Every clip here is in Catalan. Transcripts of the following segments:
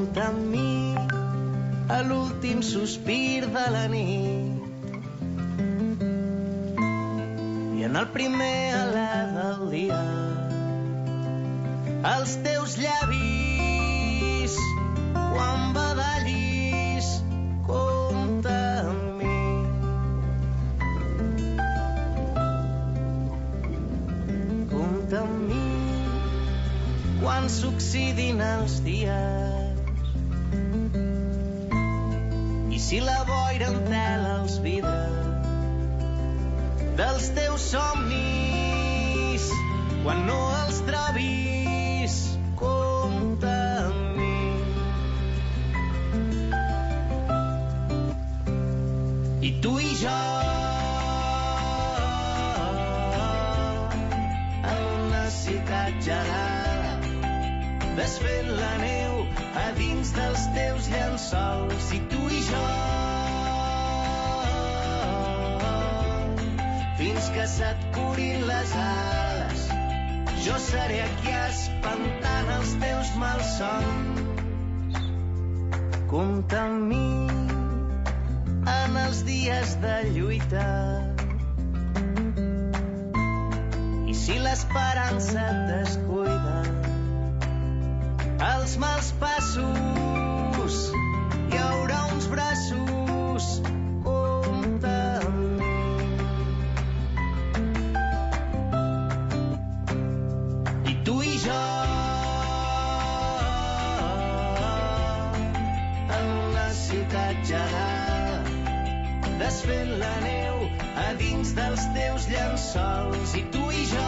Compta amb mi a l'últim sospir de la nit i en el primer alè del dia els teus llavis quan badallis. Compta amb mi. Compta amb mi quan s'oxidin els dies i si la boira entela els vidres dels teus somnis quan no els trobis. Compta amb mi. I tu i jo en una ciutat gelada desfent la neu a dins dels teus llençols. I tu i jo fins que se't curin les ales jo seré aquí espantant els teus malsons. Compta amb mi en els dies de lluita i si l'esperança et descuida els mals passos hi haurà uns braços. Compta amb mi. I tu i jo en una ciutat gelada desfent la neu a dins dels teus llençols. I tu i jo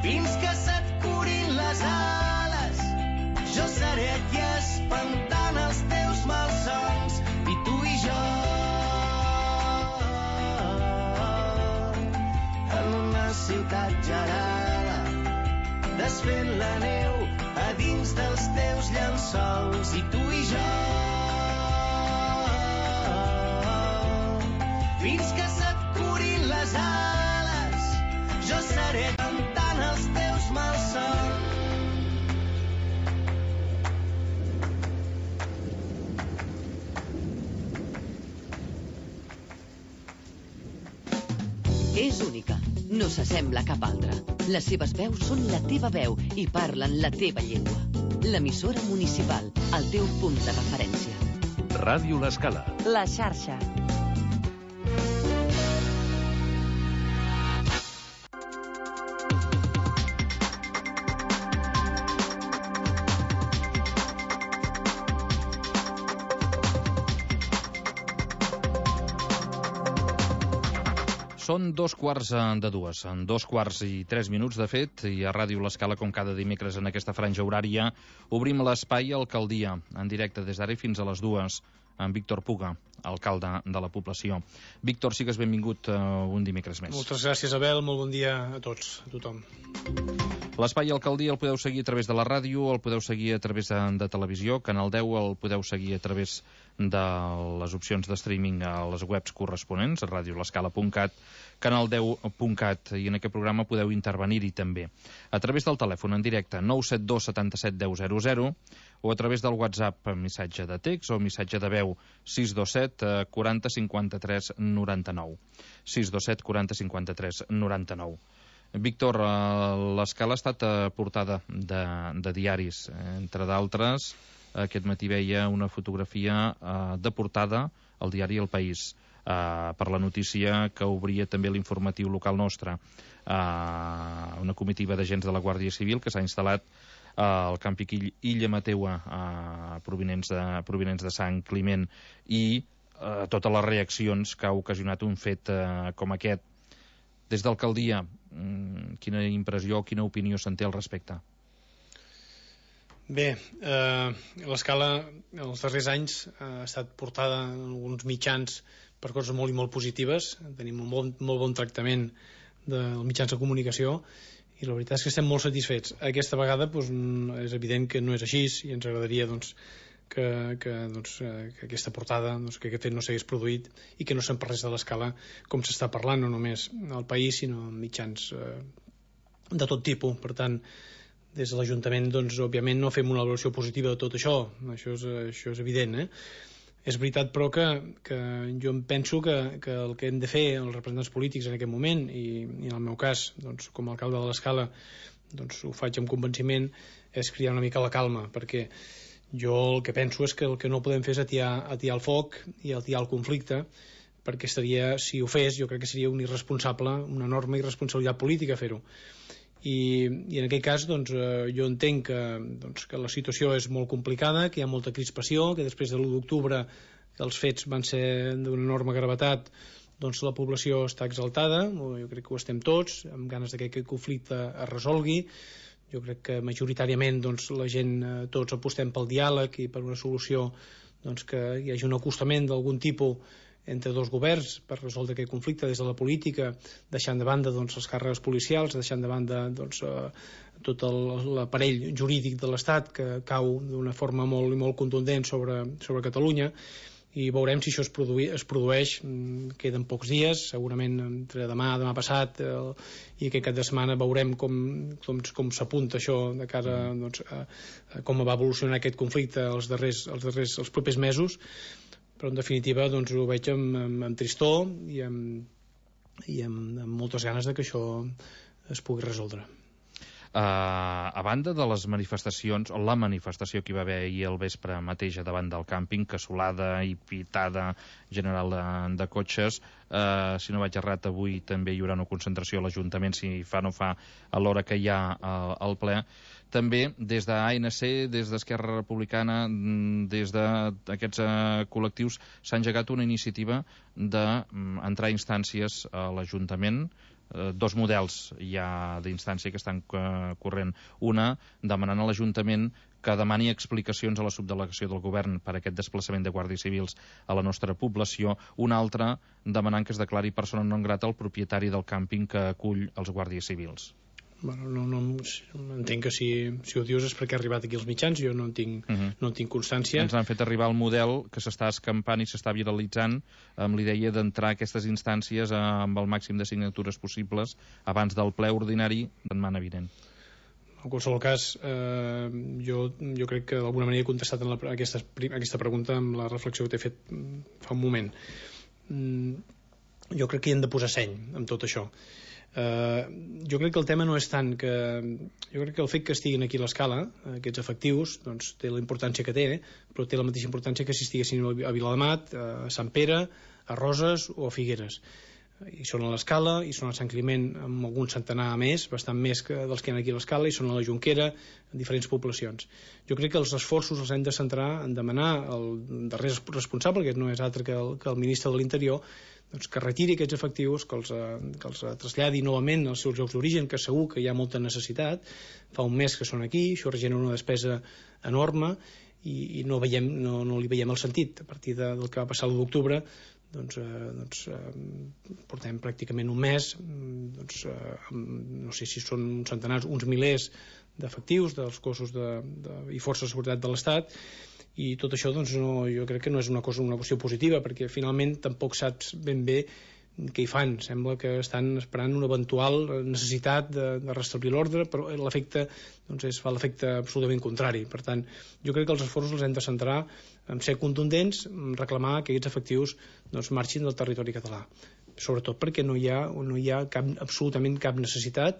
fins que se't curin les ales jo seré aquí espantant els teus malsons. I tu i jo en una ciutat gelada desfent la neu a dins dels teus llençols. I tu i jo fins que se't curin les ales jo seré cantant els teus malsons. És única, no s'assembla a cap altra. Les seves veus són la teva veu i parlen la teva llengua. L'emissora municipal, el teu punt de referència. Ràdio L'Escala. La xarxa. Són 2:15, en 2:03, de fet, i a Ràdio L'Escala, com cada dimecres en aquesta franja horària, obrim l'espai Alcaldia, en directe des d'ara fins a les 2, amb Víctor Puga, alcalde de la població. Víctor, sigues benvingut un dimecres més. Moltes gràcies, Abel, molt bon dia a tots, a tothom. L'espai Alcaldia el podeu seguir a través de la ràdio, el podeu seguir a través de televisió, Canal 10 el podeu seguir a través de les opcions de streaming a les webs corresponents, radiolescala.cat, canal10.cat, i en aquest programa podeu intervenir-hi també. A través del telèfon en directe 972 77 10 00 o a través del WhatsApp missatge de text o missatge de veu 627 40 53 99. 627 40 53 99. Víctor, l'Escala ha estat portada de diaris, entre d'altres. Aquest matí veia una fotografia de portada al diari El País per la notícia que obria també l'informatiu local nostre. Una comitiva d'agents de la Guàrdia Civil que s'ha instal·lat al campi Illa Mateua, provinents de Sant Climent, i totes les reaccions que ha ocasionat un fet com aquest. Des d'alcaldia, quina impressió, quina opinió se'n té al respecte? Bé, l'Escala els darrers anys ha estat portada en alguns mitjans per coses molt i molt positives. Tenim un molt bon tractament dels mitjans de comunicació i la veritat és que estem molt satisfets. Aquesta vegada és evident que no és així i ens agradaria que aquesta portada, que aquest fet no s'hagués produït i que no se'n parlés de l'Escala com s'està parlant, no només al País sinó en mitjans de tot tipus. Per tant, des de l'Ajuntament, doncs, òbviament no fem una valoració positiva de tot això, això és evident, És veritat, però, que jo em penso que el que hem de fer els representants polítics en aquest moment, i en el meu cas, doncs, com a alcalde de l'Escala, doncs, ho faig amb convenciment, és criar una mica la calma, perquè jo el que penso és que el que no podem fer és atiar el foc i atiar el conflicte, perquè seria, si ho fes, jo crec que seria un irresponsable, una enorme irresponsabilitat política fer-ho. I en aquest cas, doncs, jo entenc que la situació és molt complicada, que hi ha molta crispació, que després de l'1 d'octubre els fets van ser d'una enorme gravetat, doncs la població està exaltada, jo crec que ho estem tots, amb ganes que aquest conflicte es resolgui. Jo crec que majoritàriament, doncs, la gent, tots apostem pel diàleg i per una solució, doncs, que hi hagi un acostament d'algun tipus entre dos governs per resoldre aquest conflicte des de la política, deixant de banda, doncs, les càrregues policials, deixant de banda, doncs, tot l'aparell jurídic de l'Estat que cau d'una forma molt contundent sobre Catalunya, i veurem si això es produeix. Queden pocs dies, segurament entre demà passat i aquest cap de setmana veurem com s'apunta això de cara, doncs, a com va evolucionar aquest conflicte els propers mesos, però en definitiva, doncs, ho veig amb tristor i amb moltes ganes de que això es pugui resoldre. A banda de les manifestacions, o la manifestació que hi va haver ahir al vespre mateix davant del càmping, casolada i pitada general de cotxes, si no vaig errat, avui també hi haurà una concentració a l'Ajuntament, si fa o no fa, a l'hora que hi ha el ple. També des d'ANC, des d'Esquerra Republicana, des d'aquests col·lectius, s'ha engegat una iniciativa d'entrar instàncies a l'Ajuntament. Dos models hi ha d'instància que estan corrent. Una, demanant a l'Ajuntament que demani explicacions a la subdelegació del govern per aquest desplaçament de guàrdies civils a la nostra població. Una altra, demanant que es declari persona non grata el propietari del càmping que acull els guàrdies civils. Bueno, no entenc que si ho dius és perquè ha arribat aquí als mitjans, jo no en tinc constància. Ens han fet arribar el model que s'està escampant i s'està viralitzant amb l'idea d'entrar a aquestes instàncies amb el màxim de signatures possibles abans del ple ordinari de setmana vinent. En qualsevol cas, jo crec que d'alguna manera he contestat a aquesta pregunta amb la reflexió que t'he fet fa un moment. Jo crec que hi hem de posar seny amb tot això. Jo crec que el tema no és tant que... Jo crec que el fet que estiguin aquí a l'Escala, aquests efectius, doncs té la importància que té, però té la mateixa importància que si estiguessin a Viladamat, a Sant Pere, a Roses o a Figueres. I són a l'Escala, i són a Sant Climent amb algun centenar més, bastant més dels que hi ha aquí a l'Escala, i són a la Jonquera, en diferents poblacions. Jo crec que els esforços els hem de centrar en demanar al darrer responsable, que no és altre que el ministre de l'Interior, doncs que retiri aquests efectius, que els traslladi novament als seus llocs d'origen, que segur que hi ha molta necessitat. Fa un mes que són aquí, això regenera una despesa enorme i no li veiem el sentit. A partir del que va passar l'1 d'octubre, doncs portem pràcticament un mes, no sé si són uns centenars, uns milers d'efectius dels cossos i forces de seguretat de l'Estat, i tot això, doncs, jo crec que no és una qüestió positiva, perquè finalment tampoc saps ben bé què hi fan. Sembla que estan esperant una eventual necessitat de restablir l'ordre, però l'efecte, doncs, fa l'efecte absolutament contrari. Per tant, jo crec que els esforços els hem de centrar en ser contundents, en reclamar que aquests efectius, doncs, marxin del territori català, sobretot perquè no hi ha absolutament cap necessitat,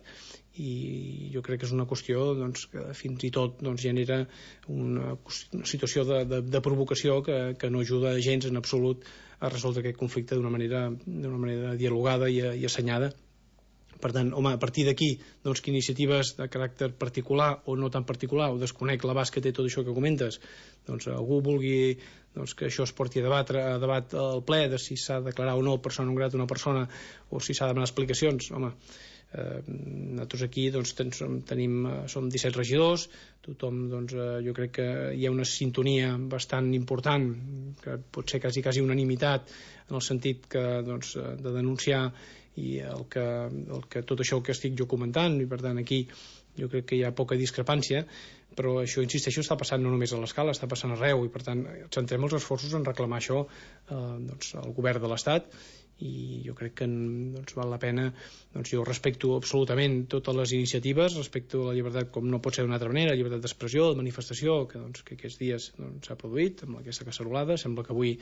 i jo crec que és una qüestió, doncs, que fins i tot, doncs, genera una situació de provocació que no ajuda gens en absolut a resoldre aquest conflicte d'una manera dialogada i assenyada. Per tant, home, a partir d'aquí, doncs, que iniciatives de caràcter particular o no tan particular, o desconec l'abast que té tot això que comentes, doncs algú vulgui, doncs, que això es porti a debat al ple de si s'ha de declarar o no persona non grata una persona, o si s'ha de demanar explicacions, home, nosaltres aquí, doncs, som 17 regidors, tothom, doncs, jo crec que hi ha una sintonia bastant important, que pot ser quasi unanimitat, en el sentit que, doncs, de denunciar i tot això que estic jo comentant, i per tant aquí jo crec que hi ha poca discrepància, però això, insisteixo, està passant no només a l'Escala, està passant arreu, i per tant centrem els esforços en reclamar això, doncs, al govern de l'Estat, i jo crec que val la pena. Jo respecto absolutament totes les iniciatives, respecto la llibertat com no pot ser d'una altra manera, la llibertat d'expressió, de manifestació, que aquests dies s'ha produït amb aquesta cacerolada. Sembla que avui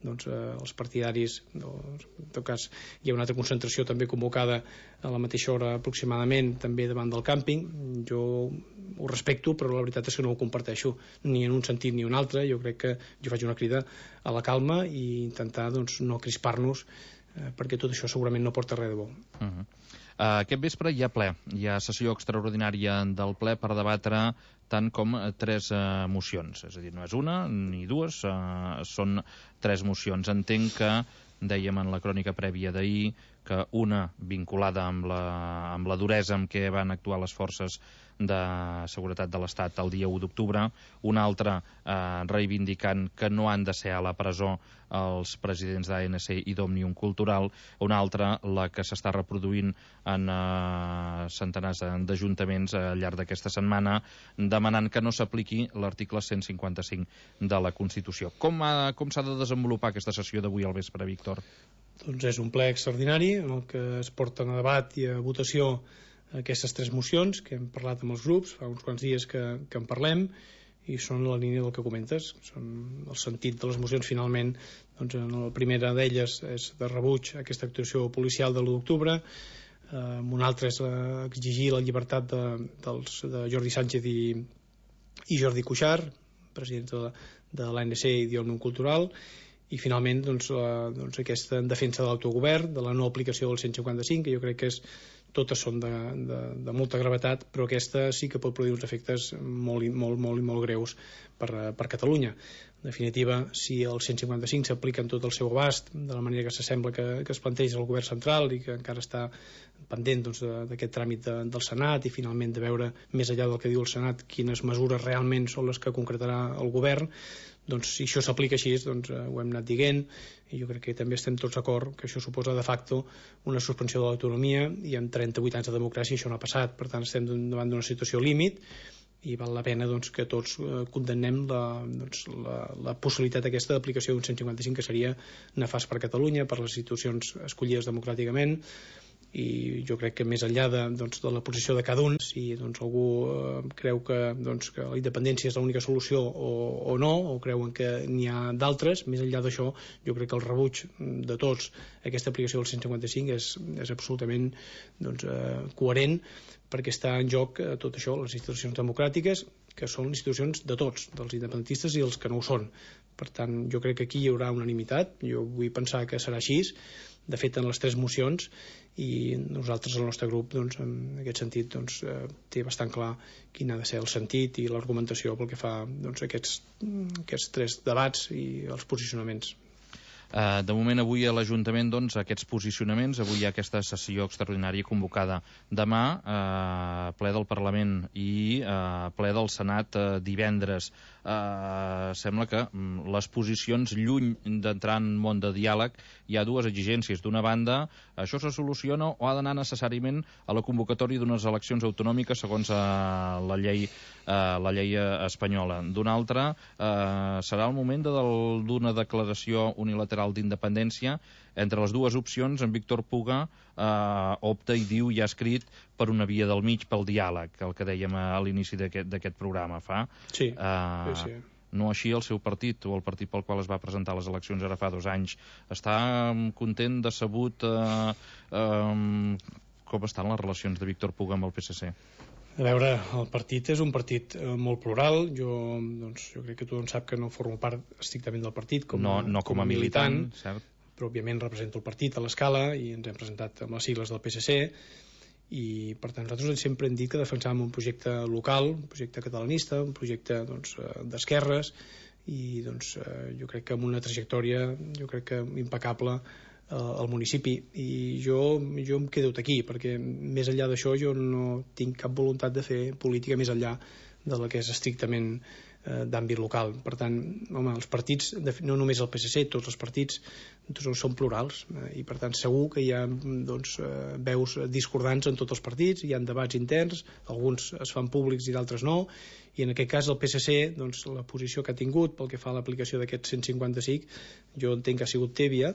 els partidaris, en tot cas hi ha una altra concentració també convocada a la mateixa hora aproximadament també davant del càmping. Jo ho respecto, però la veritat és que no ho comparteixo ni en un sentit ni en un altre. Jo crec que jo faig una crida a la calma i intentar no crispar-nos, perquè tot això segurament no porta res de bo. Aquest vespre hi ha ple, hi ha sessió extraordinària del ple per debatre tant com 3 mocions, és a dir, no és una ni dues, són 3 mocions. Entenc que dèiem en la crònica prèvia d'ahir que una vinculada amb la duresa amb què van actuar les forces de seguretat de l'Estat el dia 1 d'octubre, una altra reivindicant que no han de ser a la presó els presidents d'ANC i d'Òmnium Cultural, una altra la que s'està reproduint en centenars d'ajuntaments al llarg d'aquesta setmana, demanant que no s'apliqui l'article 155 de la Constitució. Com s'ha de desenvolupar aquesta sessió d'avui al vespre, Víctor? Doncs és un ple extraordinari en el que es porten a debat i a votació aquestes 3 mocions que hem parlat amb els grups, fa uns quants dies que en parlem, i són la línia del que comentes. Són el sentit de les mocions. Finalment, la primera d'elles és de rebuig a aquesta actuació policial de l'1 d'octubre, una altra és exigir la llibertat de Jordi Sánchez i Jordi Cuixart, presidents de l'ANC i d'Òmnium Cultural, i finalment aquesta defensa de l'autogovern, de la no aplicació del 155, que jo crec que totes són de molta gravetat, però aquesta sí que pot produir uns efectes molt greus per Catalunya. En definitiva, si el 155 s'aplica en tot el seu abast, de la manera que s'assembla que es planteja el govern central i que encara està pendent d'aquest tràmit del Senat, i finalment de veure més enllà del que diu el Senat quines mesures realment són les que concretarà el govern, si això s'aplica així, ho hem anat dient, i jo crec que també estem tots d'acord que això suposa de facto una suspensió de l'autonomia, i en 38 anys de democràcia això no ha passat. Per tant, estem davant d'una situació límit i val la pena que tots condemnem la possibilitat aquesta d'aplicació d'un 155, que seria nefast per Catalunya, per les institucions escollides democràticament. I jo crec que més enllà de la posició de cada un, si algú creu que la independència és l'única solució o no, o creuen que n'hi ha d'altres, més enllà d'això, jo crec que el rebuig de tots a aquesta aplicació del 155 és absolutament coherent, perquè està en joc tot això, les institucions democràtiques, que són institucions de tots, dels independentistes i els que no ho són. Per tant, jo crec que aquí hi haurà unanimitat. Jo vull pensar que serà així, de fet en les 3 mocions, i nosaltres, el nostre grup, en aquest sentit té bastant clar quin ha de ser el sentit i l'argumentació pel que fa a aquests 3 debats i els posicionaments. De moment, avui a l'Ajuntament, aquests posicionaments. Avui hi ha aquesta sessió extraordinària convocada demà, ple del Parlament i ple del Senat divendres. Sembla que les posicions, lluny d'entrar en món de diàleg, hi ha 2 exigències. D'una banda, això se soluciona o ha d'anar necessàriament a la convocatòria d'unes eleccions autonòmiques segons la llei espanyola. D'una altra, serà el moment d'una declaració unilateral d'independència. Entre les 2 opcions, en Víctor Puga opta i diu, i ha escrit, per una via del mig, pel diàleg, el que dèiem a l'inici d'aquest programa fa. Sí. No així el seu partit, o el partit pel qual es va presentar a les eleccions ara fa 2 anys. Està content, decebut? Com estan les relacions de Víctor Puga amb el PSC? A veure, el partit és un partit molt plural. Jo crec que tothom sap que no formo part estrictament del partit com a militant, cert. Però òbviament represento el partit a l'escala i ens hem presentat amb les sigles del PSC, i per tant nosaltres sempre hem dit que defensàvem un projecte local, un projecte catalanista, un projecte d'esquerres, i jo crec que amb una trajectòria impecable al municipi, i jo em quedo aquí, perquè més enllà d'això jo no tinc cap voluntat de fer política més enllà de la que és estrictament d'àmbit local. Per tant, home, els partits, no només el PSC, tots els partits són plurals, i per tant segur que hi ha veus discordants en tots els partits, hi ha debats interns, alguns es fan públics i d'altres no, i en aquest cas el PSC, la posició que ha tingut pel que fa a l'aplicació d'aquest 155, jo entenc que ha sigut tèbia,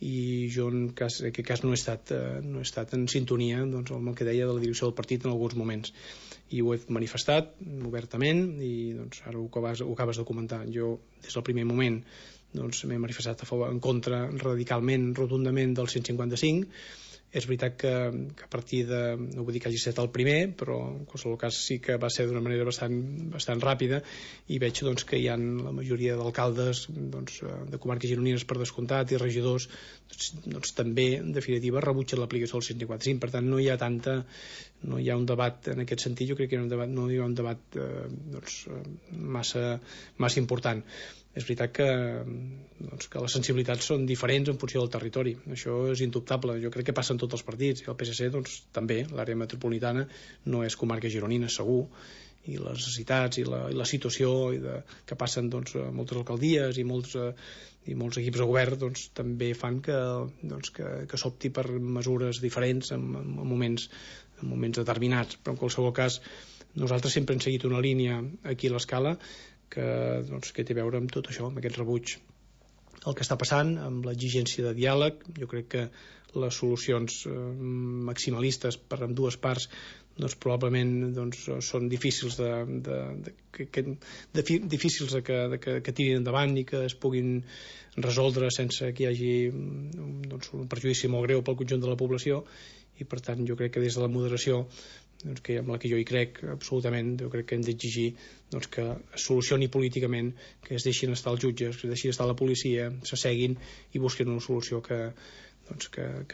i jo en aquest cas no he estat en sintonia doncs, amb el que deia de la direcció del partit en alguns moments, i ho he manifestat obertament, i doncs, ara ho acabes de comentar. Jo des del primer moment doncs, m'he manifestat en contra radicalment, rotundament del 155. És veritat que a partir de, no vull dir que hagi estat el primer, però en qualsevol cas sí que va ser d'una manera bastant ràpida, i veig doncs, que hi ha la majoria d'alcaldes doncs, de comarques gironines per descomptat i regidors doncs, també en definitiva rebutgen l'aplicació del 155. Per tant no hi ha un debat en aquest sentit. Jo crec que no hi ha un debat doncs, massa important. És veritat que les sensibilitats són diferents en funció del territori, això és indubtable. Jo crec que passa en tots els partits, i el PSC doncs, també. L'àrea metropolitana no és comarca gironina, segur, i les necessitats i la situació que passen doncs, moltes alcaldies i molts equips de govern doncs, també fan que s'opti per mesures diferents en moments determinats. Però en qualsevol cas nosaltres sempre hem seguit una línia aquí a l'Escala que té a veure amb tot això, amb aquest rebuig. El que està passant, amb l'exigència de diàleg, jo crec que les solucions maximalistes per ambdues parts doncs, probablement doncs, són difícils que tirin endavant i que es puguin resoldre sense que hi hagi doncs, un perjudici molt greu pel conjunt de la població, i per tant jo crec que des de la moderació doncs, que amb la que jo hi crec absolutament, jo crec que hem d'exigir doncs, que es solucioni políticament, que es deixin estar els jutges, que es deixin estar la policia, s'asseguin i busquin una solució que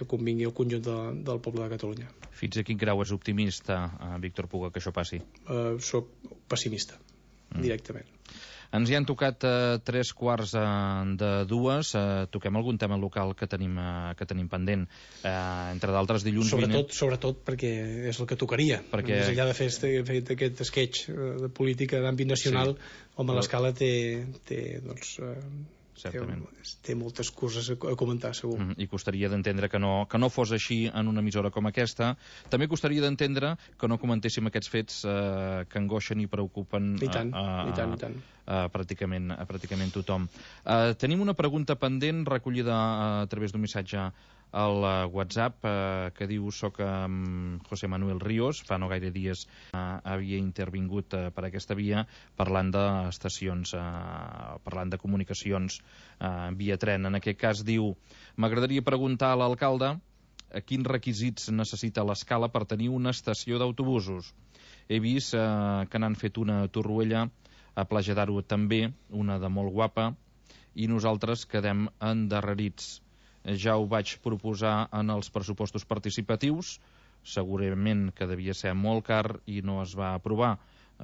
convingui al conjunt del poble de Catalunya. Fins a quin grau és optimista, Víctor Puga, que això passi? Soc pessimista, directament. Ens hi han tocat 3:15. Toquem algun tema local que tenim pendent. Entre d'altres, dilluns Sobretot perquè és el que tocaria. Més enllà de fer aquest sketch de política d'àmbit nacional, home, l'Escala té moltes coses a comentar, segur. I costaria d'entendre que no fos així en una emissora com aquesta. També costaria d'entendre que no comentéssim aquests fets que angoixen i preocupen I tant. pràcticament tothom. Tenim una pregunta pendent recollida a través d'un missatge al WhatsApp que diu: soc José Manuel Ríos, fa no gaire dies havia intervingut per aquesta via parlant d'estacions, parlant de comunicacions via tren. En aquest cas diu: m'agradaria preguntar a l'alcalde quins requisits necessita l'Escala per tenir una estació d'autobusos. He vist que n'han fet una a Torroella, a Platja d'Aro també, una de molt guapa, i nosaltres quedem endarrerits. Ja ho vaig proposar en els pressupostos participatius, segurament que devia ser molt car i no es va aprovar.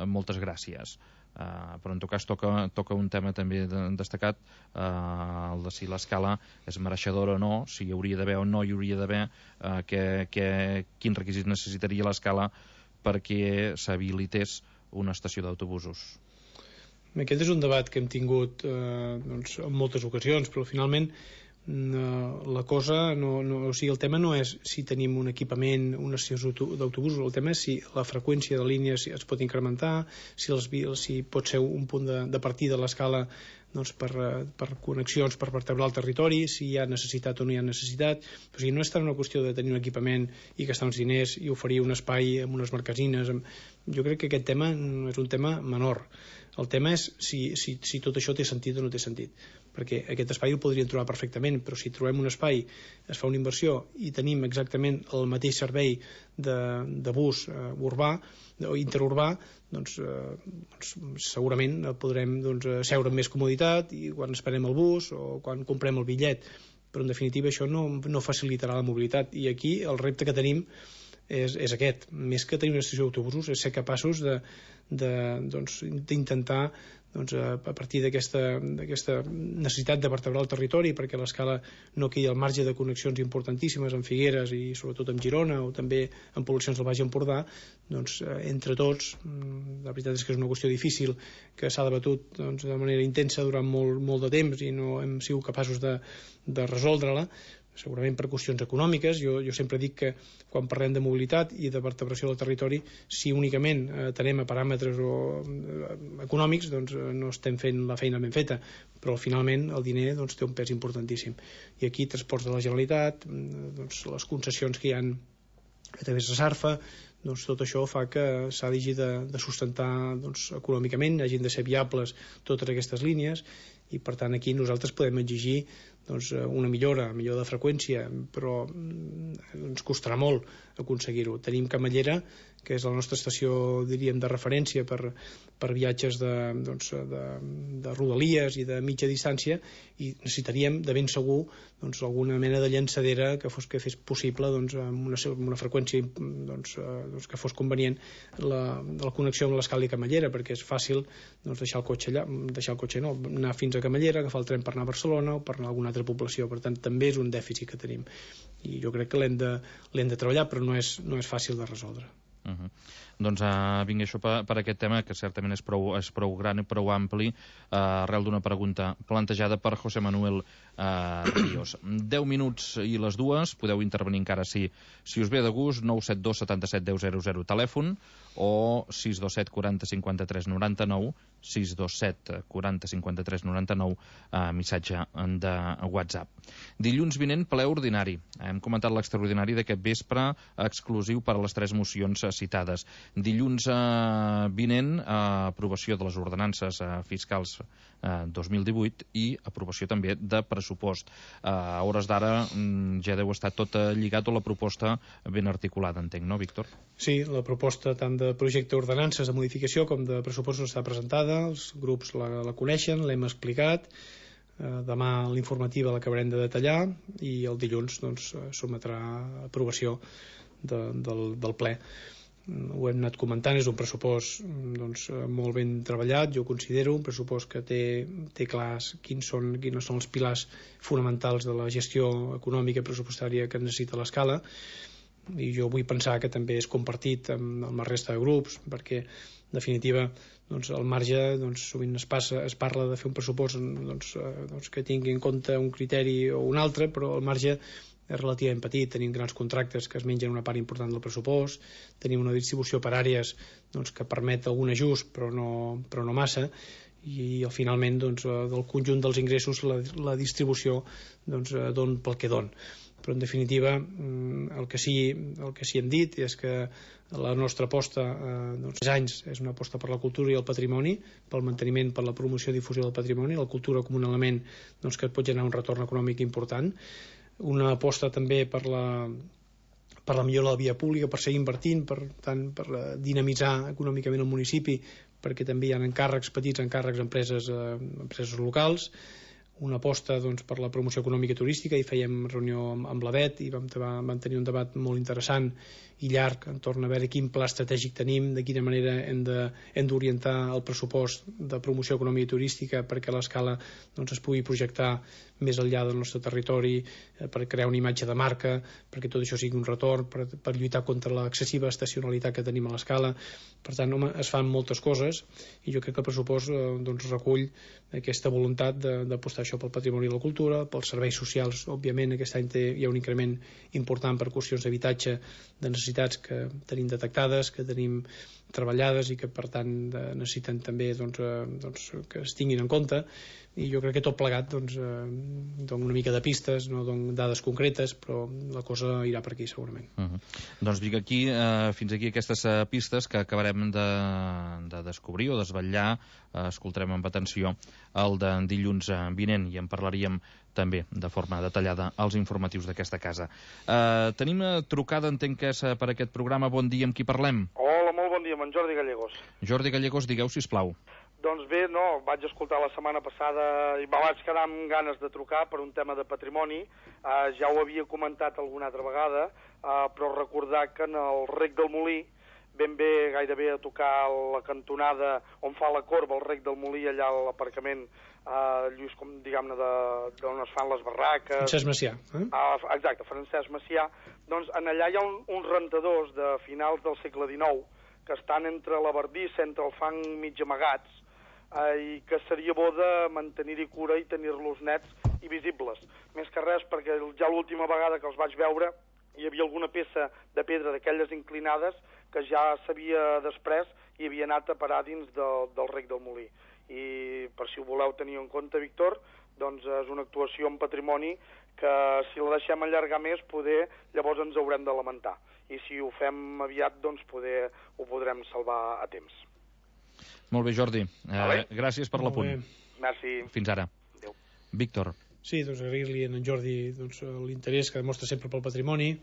Moltes gràcies. Però en tot cas toca un tema també destacat, el de si l'Escala és mereixedora o no, si hi hauria d'haver o no hi hauria d'haver, quins requisits necessitaria l'Escala perquè s'habilités una estació d'autobusos. Aquest és un debat que hem tingut en moltes ocasions, però finalment la cosa o sigui, el tema no és si tenim un equipament, una estació d'autobusos, el tema és si la freqüència de línies es pot incrementar, si pot ser un punt de partida a l'Escala doncs, per connexions, per vertebrar el territori, si hi ha necessitat o no hi ha necessitat. O sigui, no és tant una qüestió de tenir un equipament i gastar uns diners i oferir un espai amb unes marquesines. Jo crec que aquest tema no és un tema menor. El tema és si tot això té sentit o no té sentit, perquè aquest espai el podríem trobar perfectament, però si trobem un espai, es fa una inversió i tenim exactament el mateix servei de bus urbà o interurbà, doncs segurament podrem seure amb més comoditat i quan esperem el bus o quan comprem el bitllet, però en definitiva això no facilitarà la mobilitat. I aquí el repte que tenim és aquest, més que tenir una estació d'autobusos, és ser capaços d'intentar a partir d'aquesta necessitat de vertebrar el territori, perquè l'Escala no quedi al marge de connexions importantíssimes amb Figueres i sobretot amb Girona o també amb poblacions del Baix Empordà, doncs entre tots, la veritat és que és una qüestió difícil que s'ha debatut de manera intensa durant molt de temps i no hem sigut capaços de resoldre-la, segurament per qüestions econòmiques. Jo sempre dic que quan parlem de mobilitat i de vertebració del territori, si únicament atenem a paràmetres econòmics, doncs no estem fent la feina ben feta, però finalment el diner doncs, té un pes importantíssim. I aquí transports de la Generalitat, doncs, les concessions que hi ha a través de Sarfa, doncs tot això fa que s'ha de sustentar doncs, econòmicament, hagin de ser viables totes aquestes línies, i per tant aquí nosaltres podem exigir doncs, una millora de freqüència, però ens costarà molt aconseguir-ho. Tenim Camallera, que és la nostra estació, diríem, de referència per viatges de rodalies i de mitja distància, i necessitaríem de ben segur doncs, alguna mena de llançadera que fes possible doncs, amb una freqüència que fos convenient la connexió amb l'escala i Camallera, perquè és fàcil doncs, deixar el cotxe anar fins a Camallera, agafar el tren per anar a Barcelona o per anar a alguna altra població. Per tant, també és un dèficit que tenim i jo crec que l'hem de treballar, però no és fàcil de resoldre. Doncs vinga, això per aquest tema, que certament és prou gran i prou ampli, arrel d'una pregunta plantejada per José Manuel Ríos. 10 minuts i les 2, podeu intervenir encara si us ve de gust. 972 77 10 00 telèfon, o 627 40 53 99, 627 40 53 99 missatge de WhatsApp. Dilluns vinent, ple ordinari. Hem comentat l'extraordinari d'aquest vespre, exclusiu per a les 3 mocions citades. Dilluns vinent, aprovació de les ordenances fiscals 2018 i aprovació també de pressupost. A hores d'ara ja deu estar tot lligat, o la proposta ben articulada, entenc, no, Víctor? Sí, la proposta tant de projecte d'ordenances de modificació com de pressupost està presentada, els grups la coneixen, l'hem explicat. Demà l'informativa l'acabarem de detallar i el dilluns doncs, sotmetrà a aprovació del ple. Ho hem anat comentant, és un pressupost doncs, molt ben treballat, jo considero un pressupost que té clars quins són els pilars fonamentals de la gestió econòmica i pressupostària que necessita l'escala, i jo vull pensar que també és compartit amb la resta de grups, perquè en definitiva doncs, al marge sovint es parla de fer un pressupost que tingui en compte un criteri o un altre, però al marge és relativament petit. Tenim grans contractes que es mengen una part important del pressupost, tenim una distribució per àrees que permet algun ajust però no massa, i finalment del conjunt dels ingressos la distribució don pel que don. Però en definitiva el que sí hem dit és que la nostra aposta 3 anys és una aposta per la cultura i el patrimoni, pel manteniment, per la promoció i difusió del patrimoni, la cultura com un element que pot generar un retorn econòmic important, una aposta també per la millora de la via pública, per seguir invertint, per dinamitzar econòmicament el municipi, perquè també hi ha petits encàrrecs a empreses locals, una aposta per la promoció econòmica i turística, i fèiem reunió amb l'ABET i vam tenir un debat molt interessant i llarg entorn a veure quin pla estratègic tenim, de quina manera hem d'orientar el pressupost de promoció econòmica i turística perquè l'escala es pugui projectar més enllà del nostre territori, per crear una imatge de marca, perquè tot això sigui un retorn, per lluitar contra l'excessiva estacionalitat que tenim a l'escala. Per tant, es fan moltes coses, i jo crec que el pressupost recull aquesta voluntat d'apostar això pel patrimoni i la cultura, pels serveis socials. Òbviament aquest any hi ha un increment important per qüestions d'habitatge, de necessitats que tenim detectades, que tenim treballades i que per tant necessiten també que es tinguin en compte, i jo crec que tot plegat dona una mica de pistes, no dono dades concretes, però la cosa irà per aquí segurament. Doncs vinc aquí, fins aquí aquestes pistes que acabarem de descobrir o desvetllar. Escoltarem amb atenció el de dilluns vinent i en parlaríem també de forma detallada als informatius d'aquesta casa. Tenim trucada, entenc que és per aquest programa. Bon dia, amb qui parlem? Hola, molt bon dia, amb en Jordi Gallegos. Jordi Gallegos, digueu, sisplau. Doncs bé, no, vaig escoltar la setmana passada i me vaig quedar amb ganes de trucar per un tema de patrimoni. Ja ho havia comentat alguna altra vegada, però recordar que en el Rec del Molí, ben bé gairebé a tocar la cantonada on fa la corba el Rec del Molí, allà a l'aparcament lluís, com diguem-ne, d'on es fan les barraques. Francesc Macià. Exacte, Francesc Macià. Doncs en allà hi ha uns rentadors de finals del segle XIX que estan entre la bardissa, entre el fang mig amagats, i que seria bo de mantenir-hi cura i tenir-los nets i visibles. Més que res perquè ja l'última vegada que els vaig veure hi havia alguna peça de pedra d'aquelles inclinades que ja s'havia desprès i havia anat a parar dins del rec del molí. I per si ho voleu tenir en compte, Víctor, doncs és una actuació en patrimoni que si la deixem allargar més, poder llavors ens haurem de lamentar. I si ho fem aviat, doncs poder ho podrem salvar a temps. Molt bé, Jordi. Gràcies per l'apunt. Merci. Fins ara. Adéu. Víctor. Sí, doncs agrair-li a en Jordi l'interès que demostra sempre pel patrimoni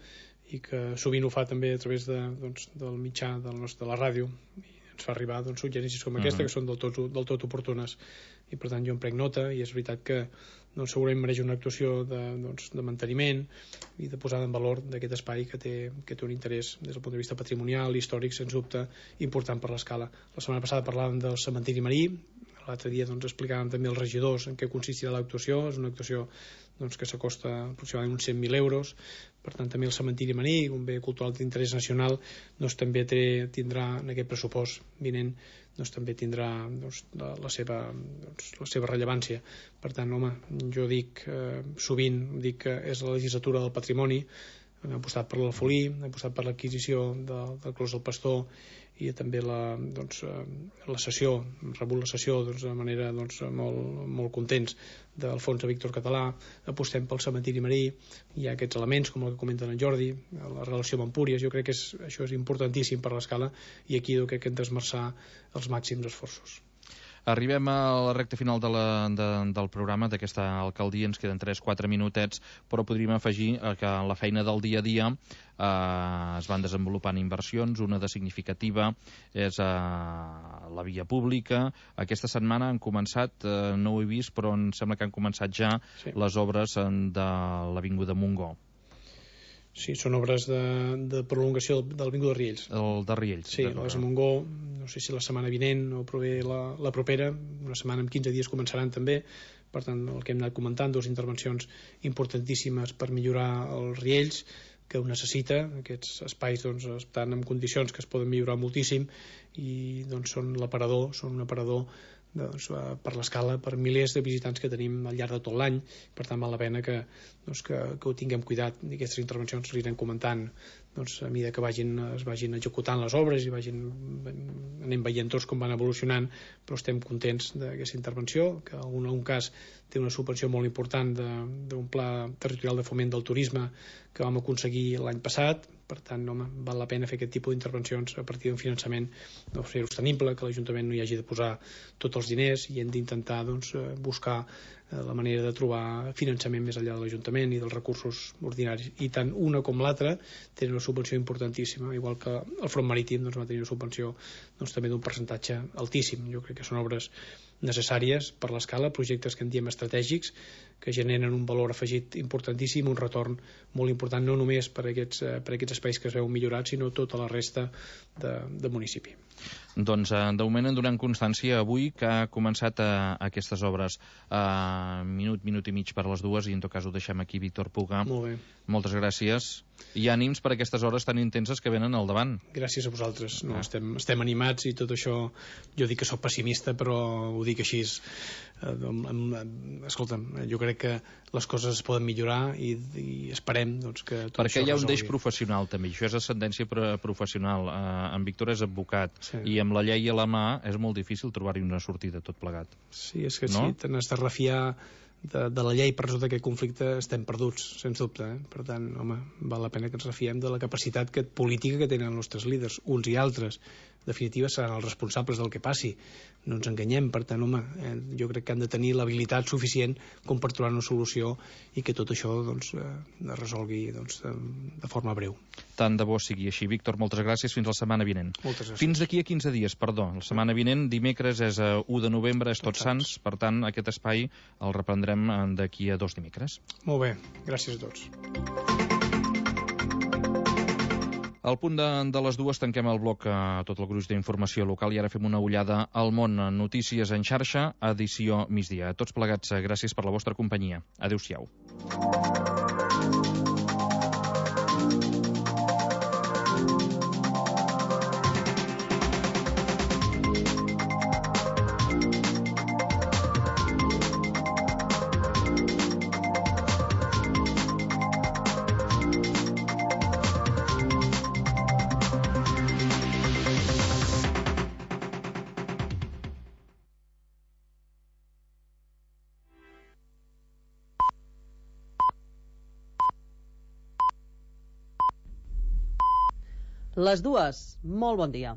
i que sovint ho fa també a través del mitjà de la ràdio i ens fa arribar suggerències com aquesta que són del tot oportunes i per tant jo en prenc nota i és veritat que segurament mereix una actuació de manteniment i de posada en valor d'aquest espai que té un interès des del punt de vista patrimonial i històric, sens dubte, important per l'Escala. La setmana passada parlàvem del cementiri marí, l'altre dia explicàvem també als regidors en què consistirà l'actuació. És una actuació que s'acosta aproximadament uns 100.000 euros. Per tant, també el cementiri marí, un bé cultural d'interès nacional, també tindrà en aquest pressupost vinent també tindrà la seva rellevància. Per tant, home, jo dic sovint que és la legislatura del patrimoni. Hem apostat per l'Alfolí, hem apostat per l'adquisició del Clos del Pastor i també la cessió, hem rebut la cessió de manera molt contents del fons de Víctor Català. Apostem pel cementiri marí, hi ha aquests elements com el que comenta en Jordi, la relació amb Empúries. Jo crec que això és importantíssim per l'Escala i aquí crec que hem d'esmerçar els màxims esforços. Arribem a la recta final del programa d'aquesta alcaldia, ens queden 3-4 minutets, però podríem afegir que la feina del dia a dia es van desenvolupant inversions. Una de significativa és la via pública. Aquesta setmana han començat, no ho he vist, però em sembla que han començat ja les obres de l'Avinguda Montgó. Sí, són obres de prolongació de l'Avinguda de Riells. El de Riells. Sí, les de Montgó, no sé si la setmana vinent o prové la propera, una setmana en 15 dies començaran també. Per tant, el que hem anat comentant, dues intervencions importantíssimes per millorar els Riells, que ho necessita. Aquests espais estan en condicions que es poden millorar moltíssim i són un aparador per l'Escala, per milers de visitants que tenim al llarg de tot l'any. Per tant, val la pena que ho tinguem cuidat i aquestes intervencions s'anirem comentant a mesura que es vagin executant les obres i anem veient tots com van evolucionant, però estem contents d'aquesta intervenció, que en algun cas té una subvenció molt important d'un pla territorial de foment del turisme que vam aconseguir l'any passat. Per tant, val la pena fer aquest tipus d'intervencions a partir d'un finançament sostenible, que l'Ajuntament no hi hagi de posar tots els diners i hem d'intentar buscar la manera de trobar finançament més enllà de l'Ajuntament i dels recursos ordinaris. I tant una com l'altra tenen una subvenció importantíssima, igual que el front marítim va tenir una subvenció també d'un percentatge altíssim. Jo crec que són obres necessàries per l'Escala, projectes que en diem estratègics, que generen un valor afegit importantíssim, un retorn molt important, no només per aquests espais que es veuen millorats, sinó tota la resta de municipi. Doncs de moment en donem constància avui que ha començat aquestes obres. Minut i mig per les dues i en tot cas ho deixem aquí. Víctor Puga, molt bé. Moltes gràcies i ànims per aquestes hores tan intenses que venen al davant. Gràcies a vosaltres. Estem animats i tot això, jo dic que sóc pessimista, però ho dic així. Escolta'm, jo crec que les coses es poden millorar i esperem que tot perquè això hi ha un resolgui. deix professional també, això és ascendència professional. En Víctor és advocat i amb la llei a la mà és molt difícil trobar-hi una sortida tot plegat. Sí, és que si te n'has de refiar de la llei per resoldre aquest conflicte estem perduts, sens dubte. Per tant, val la pena que ens refiem de la capacitat política que tenen els nostres líders, uns i altres. En definitiva, seran els responsables del que passi. No ens enganyem. Per tant, jo crec que han de tenir l'habilitat suficient com per trobar una solució i que tot això es resolgui de forma breu. Tant de bo sigui així. Víctor, moltes gràcies. Fins la setmana vinent. Moltes gràcies. Fins d'aquí a 15 dies, perdó. La setmana vinent, dimecres, és 1 de novembre, és Tots Sants. Per tant, aquest espai el reprendrem d'aquí a 2 dimecres. Molt bé. Gràcies a tots. Al punt de les 2 tanquem el bloc a tot el gruix d'informació local i ara fem una ullada al món. Notícies en xarxa, edició migdia. A tots plegats, gràcies per la vostra companyia. Adéu-siau. Les dues. Molt bon dia.